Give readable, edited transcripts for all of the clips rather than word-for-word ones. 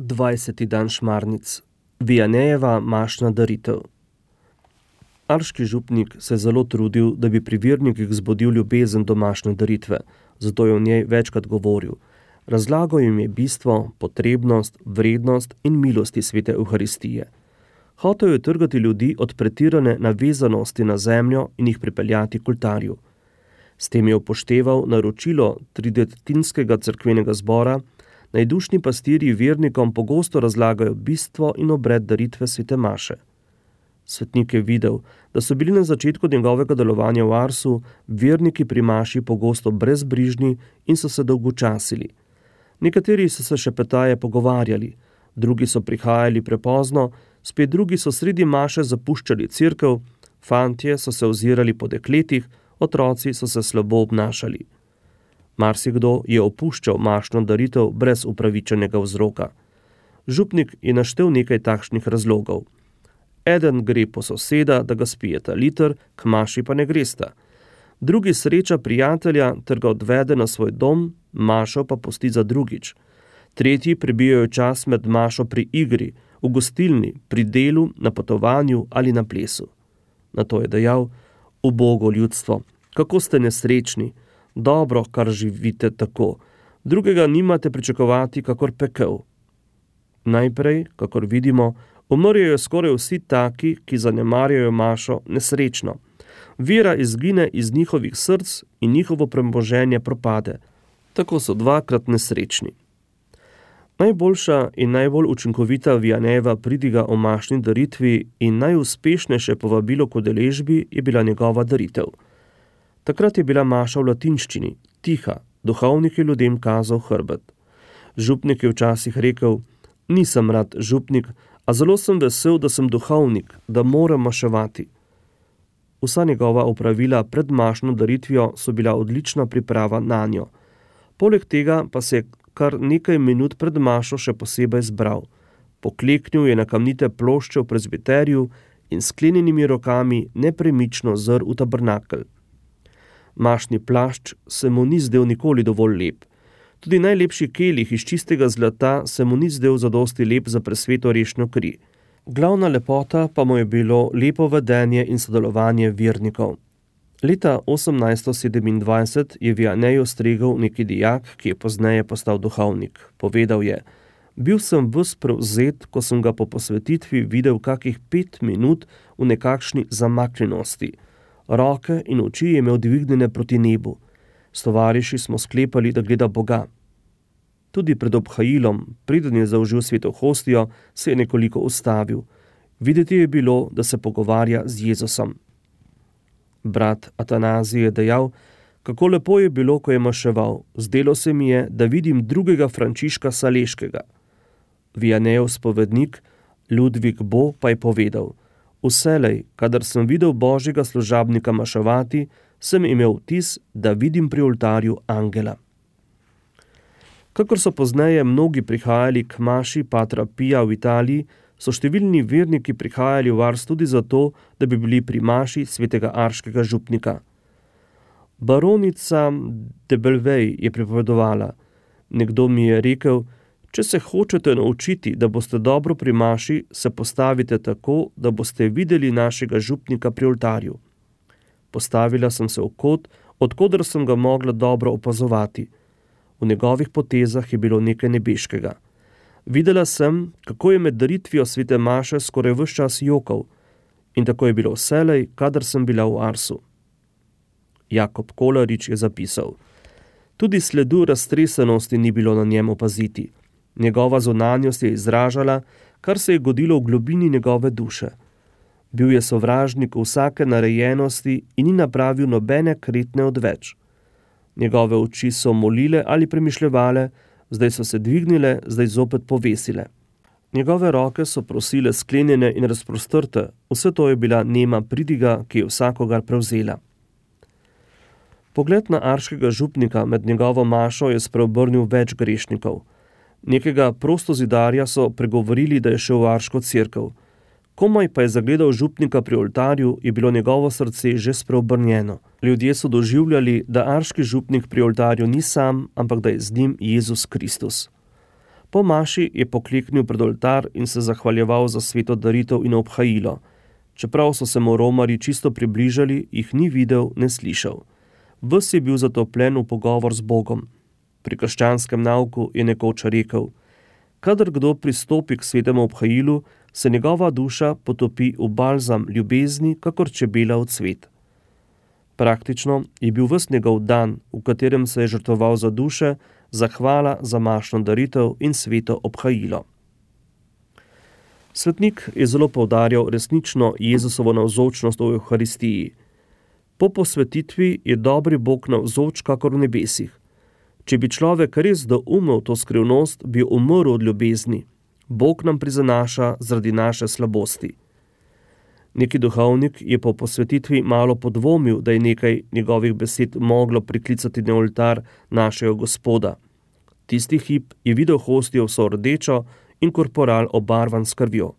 20. dan šmarnic. Vianejeva mašna daritev. Arški župnik se je zelo trudil, da bi pri vernikih zbudil ljubezen do mašne daritve, zato je o njej večkrat govoril. Razlagal jim je bistvo, potrebnost, vrednost in milosti svete Evharistije. Hotel je trgati ljudi od pretirane navezanosti na zemljo in jih pripeljati k oltarju. S tem je upošteval naročilo tridetinskega cerkvenega zbora, najdušni pastirji vernikom pogosto razlagajo bistvo in obred daritve svete maše. Svetnik je videl, da so bili na začetku njegovega delovanja v Arsu verniki pri maši pogosto brezbrižni in so se dolgočasili. Nekateri so se šepetaje pogovarjali, drugi so prihajali prepozno, spet drugi so sredi maše zapuščali cerkev, fantje so se ozirali po dekletih, otroci so se slabo obnašali. Marsikdo je opuščal mašno daritev brez upravičenega vzroka. Župnik je naštel nekaj takšnih razlogov. Eden gre po soseda, da ga spijeta liter, k maši pa ne gresta. Drugi sreča prijatelja ter ga odvede na svoj dom, mašo pa pusti za drugič. Tretji prebijajo čas med mašo pri igri, v gostilni, pri delu, na potovanju ali na plesu. Nato je dejal: ubogo ljudstvo, kako ste nesrečni, dobro, kar živite tako, drugega nimate pričakovati kakor pekel. Najprej, kakor vidimo, umrjajo skoraj vsi taki, ki zanemarjajo mašo, nesrečno. Vera izgine iz njihovih src in njihovo premoženje propade. Tako so dvakrat nesrečni. Najboljša in najbolj učinkovita Vianejeva pridiga o mašni daritvi in najuspešnejše povabilo k udeležbi je bila njegova daritev. Takrat je bila maša v latinščini, tiha, duhovnik je ljudem kazal hrbet. Župnik je včasih rekel: nisem rad župnik, a zelo sem vesel, da sem duhovnik, da moram maševati. Vsa njegova opravila pred mašno daritvijo so bila odlična priprava nanjo. Poleg tega pa se je kar nekaj minut pred mašo še posebej zbral. Pokleknil je na kamnite plošče v prezbiterju in sklenjenimi rokami nepremično zrl v tabernakelj. Mašni plašč se mu ni zdel nikoli dovolj lep. Tudi najlepši kelih iz čistega zlata se mu ni zdel zadosti lep za presveto rešno kri. Glavna lepota pa mu je bilo lepo vedenje in sodelovanje vernikov. Leta 1827 je Vianeju stregel neki dijak, ki je pozneje postal duhovnik. Povedal je: bil sem ves prevzet, ko sem ga po posvetitvi videl kakih 5 minut v nekakšni zamaknjenosti. Roke in oči je imel dvignjene proti nebu. S tovariši smo sklepali, da gleda Boga. Tudi pred obhajilom, preden je zaužil sveto hostijo, se je nekoliko ustavil. Videti je bilo, da se pogovarja z Jezusom. Brat Atanazij je dejal, kako lepo je bilo, ko je maševal. Zdelo se mi je, da vidim drugega Frančiška Saleškega. Vianejev spovednik Ludvik Bo pa je povedal: vselej, kadar sem videl božjega služabnika maševati, sem imel vtis, da vidim pri oltarju angela. Kakor so pozneje mnogi prihajali k maši Patra Pija v Italiji, so številni verniki prihajali v Ars tudi zato, da bi bili pri maši svetega arškega župnika. Baronica de Belvej je pripovedovala: nekdo mi je rekel, če se hočete naučiti, da boste dobro pri maši, se postavite tako, da boste videli našega župnika pri oltarju. Postavila sem se v kot, odkoder sem ga mogla dobro opazovati. V njegovih potezah je bilo nekaj nebeškega. Videla sem, kako je med daritvijo svete maše skoraj ves čas jokal, in tako je bilo vselej, kadar sem bila v Arsu. Jakob Kolarič je zapisal: tudi sledu raztresenosti ni bilo na njem opaziti. Njegova zunanjost je izražala, kar se je godilo v globini njegove duše. Bil je sovražnik vsake narejenosti in ni napravil nobene kretne odveč. Njegove oči so molile ali premišljevale, zdaj so se dvignile, zdaj zopet povesile. Njegove roke so prosile sklenjene in razprostrte, vse to je bila nema pridiga, ki je vsakogar prevzela. Pogled na arškega župnika med njegovo mašo je spreobrnil več grešnikov. Nekega prostozidarja so pregovorili, da je šel v arško cerkev. Komaj pa je zagledal župnika pri oltarju, je bilo njegovo srce že spreobrnjeno. Ljudje so doživljali, da arški župnik pri oltarju ni sam, ampak da je z njim Jezus Kristus. Po maši je pokleknil pred oltar in se zahvaljeval za sveto daritev in obhajilo. Čeprav so se mu romarji čisto približali, jih ni videl, ne slišal. Ves je bil zatopljen v pogovor z Bogom. Pri krščanskem nauku je nekoč rekel: kadar kdo pristopi k svetemu obhajilu, se njegova duša potopi v balzam ljubezni, kakor čebela v cvet. Praktično je bil ves njegov dan, v katerem se je žrtvoval za duše, zahvala za mašno daritev in sveto obhajilo. Svetnik je zelo poudarjal resnično Jezusovo navzočnost v Evharistiji. Po posvetitvi je dobri Bog navzoč kakor v nebesih. Če bi človek res doumel to skrivnost, bi umrl od ljubezni. Bog nam prizanaša zaradi naše slabosti. Neki duhovnik je po posvetitvi malo podvomil, da je nekaj njegovih besed moglo priklicati na oltar našega Gospoda. Tisti hip je videl hostijo vso rdečo in korporal obarvan s krvjo.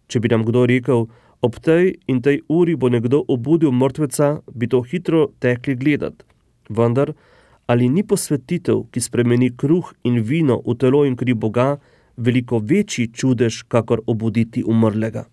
Če bi nam kdo rekel, ob tej in tej uri bo nekdo obudil mrtveca, bi to hitro tekli gledat. Vendar, ali ni posvetitev, ki spremeni kruh in vino v telo in kri Boga, veliko večji čudež, kakor obuditi umrlega?